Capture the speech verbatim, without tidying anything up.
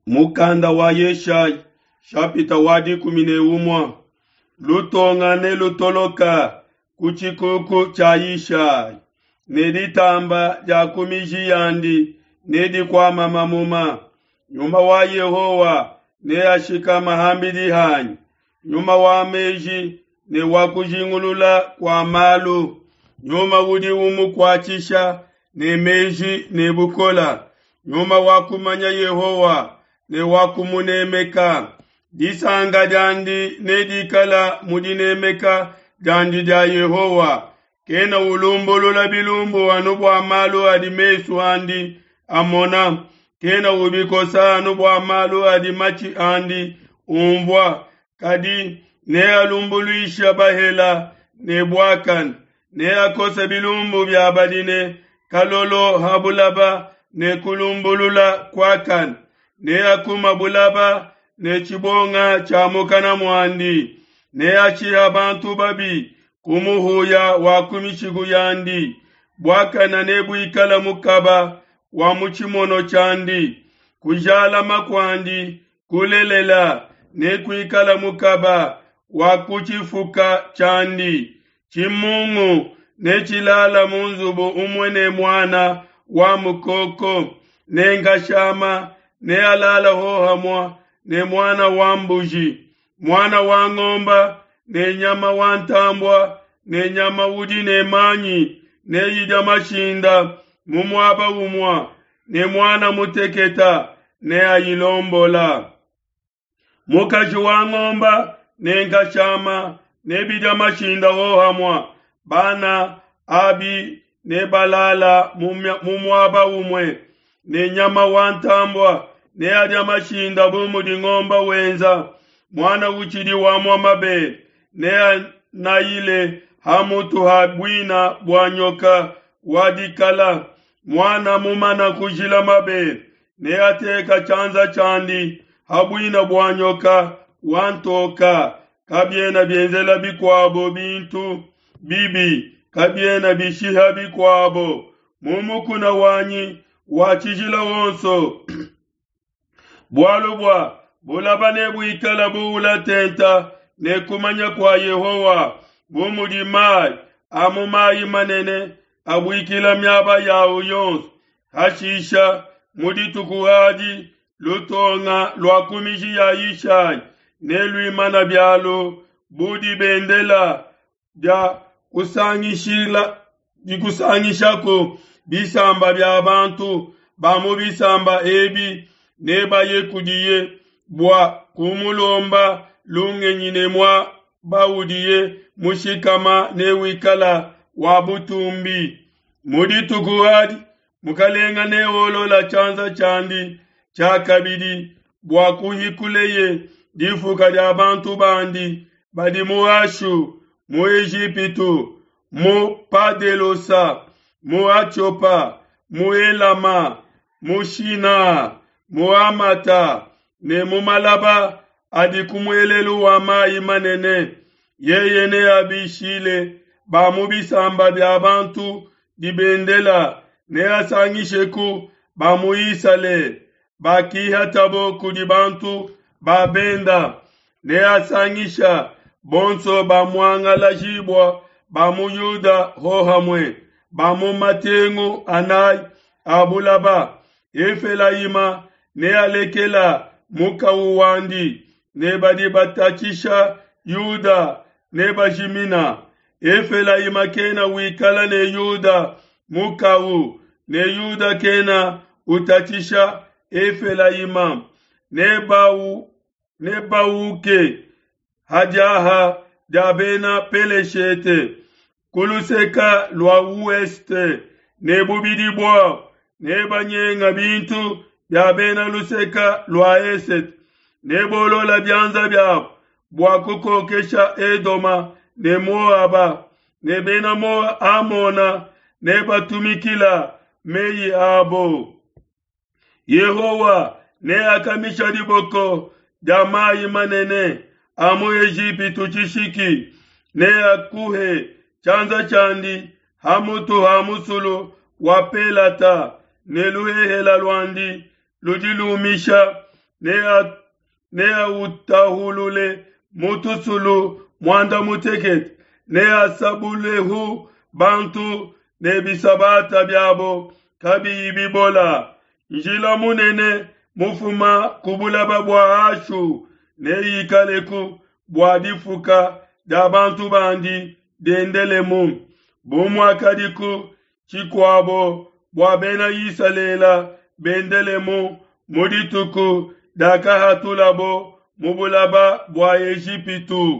Mukanda wa Yeshayi shapita wa dikumi ne umue lutonga ne lutoloka ku tshikuku tshia Yishai ne ditamba dia ku miji yandi nedikuama mamuma. Nyuma wa Yehowa neashikama ham'bidi hanyi, nyuma wa meji ne wa kujingulula kua malu, nyuma udi umukuatshisha ne meji ne bukole, nyuma wa kumanya Yehowa ne wa kumunemeka. Disanka diandi nedikale mu dinemeka diandi dia Yehowa. Kena ulumbulula bilumbu anu bua malu adi mesu andi amona, kena ubikosa anu bua malu adi matshi andi unvua, kadi nealumbuluishe bahele ne buakane, neakose bilumbu bia badi ne kalolo ha bulaba ne kulumbulula kuakane, neakuma bulaba ne tshibonga tshia mukana muandi, neashiha bantu babi ku muhuya wa ku mishiku yandi. Buakane nebuikale mukaba wa mu tshimono tshiandi, kujalama kuandi kulelela nekuikale mukaba wa ku tshifuka tshiandi. Tshimungu netshilala mu nzubu umue ne muana wa mukoko, ne nkashama nealale hohamue ne muana wa mbuji, muana wa ngomba ne nyama wa ntambue ne nyama udi ne manyi neyidia mashinda mu muaba umue, ne muana muteketa neayilombola. Mukaji wa ngomba ne nkashama nebidia mashinda hohamue, bana abi nebalala mu muaba umue, ne nyama wa ntambue neadia mashinda bu mudi ngomba wenza. Muana utshidi wamua mabele neanayile ha mutu ha buina bua nyoka wa dikala. Muana mumana kujila mabele neateka tshianza tshiandi ha buina bua nyoka wa ntoka. Kabiena bienzela bikuabo bintu bibi, kabiena bishiha bikuabo. Mu mukuna wanyi wa tshijila wonso bualu bua bulaba nebuikala buula tenta ne kumanya kua Yehowa, bu mudi mai a mu mai manene abuikila miaba yao yonso. Hashisha mu dituku adi lutonga lua ku miji ya Yishai neluimana bialu bu dibendela dia kusangishila dikusangishaku bisamba bia bantu ba mu bisamba ebi nebaye kudiye bua kumulomba lungenyi ne muaba udiye mushikama newikala wa butumbi. Mu dituku adi mukalenga neolola tshianza tshiandi tshiakabidi bua kuhikuleye difuka dia bantu bandi badi mu Ashu, mu Ejipitu, mu Padelosa, mu Atiopa, mu Elama, mu Shina, mu Hamata ne mu malaba adi ku muelelu wa mai manene. Yeye neabishile ba mu bisamba bia bantu dibendela, neasangisheku ba mu Isalele bakihatabo kudi bantu ba benda, neasangisha bonso bamuangalajibua ba mu Yuda hohamue ba mu matengu anayi a bulaba. Efelayima nealekela mukawu wandi, ne badi batatshisha Yuda nebajimina. Efelayima kena wikala ne Yuda mukawu, ne Yuda kena utatshisha Efelayima. Nebau nebauke hadiaha dia bena Peleshete ku luseka lua ouest, ne bubidi buabo nebanyenga bintu bia bena luseka lua esete, nebolola bianza biabo bua kukokesha Edoma ne Moaba, ne bena Amona nebatumikila meyi abo. Yehowa neakamisha diboko dia mai manene a mu Ejipitu tshishiki, neakuhe tshianza tshiandi ha mutu ha musulu wa Pelata, ne luhehela luandi ludi lumisha Neautahulule mu tusulu muanda mutekete, neasabulehu bantu ne bisabata biabo kabiyi bibola. Njila munene mufuma ku bulaba bua Ashu neikaleku bua difuka dia bantu bandi diendelemu, bu muakadiku tshikuabo bua Bena Isalele bendelemu mu dituku diakahatulabo mu bulaba bua Ejipitu.